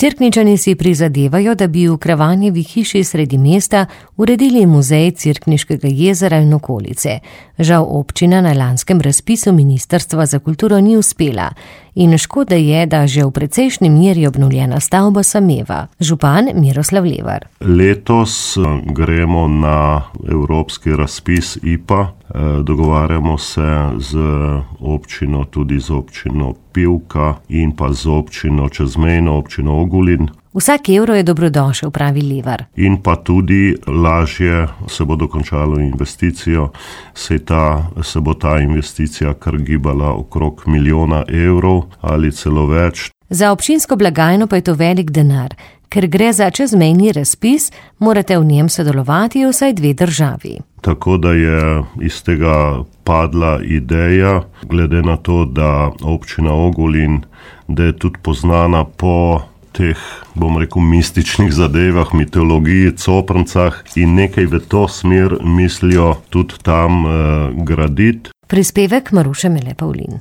Cerkničani si prizadevajo, da bi v Kravanjevi hiši sredi mesta uredili muzej Cerkniškega jezera in okolice. Žal občina na lanskem razpisu Ministrstva za kulturo ni uspela in škoda je, da že v precejšnji meri obnovljena stavba sameva. Župan Miroslav Levar. Letos gremo na evropski razpis IPA. Dogovarjamo se z občino, tudi z občino Pivka in pa z občino čezmejno, občino Ogulin. Vsak evro je dobrodošel, pravi Levar. In pa tudi lažje se bo dokončalo investicijo, se bo ta investicija kar gibala okrog 1 milijona evrov ali celo več. Za občinsko blagajno pa je to velik denar. Ker gre za čezmejni razpis, morate v njem sodelovati vsaj 2 državi. Tako da je iz tega padla ideja, glede na to, da občina Ogulin, da je tudi poznana po teh, mističnih zadevah, mitologiji, coprncah in nekaj v to smer mislijo tudi tam graditi. Prispevek Maruše Mele Pavlin.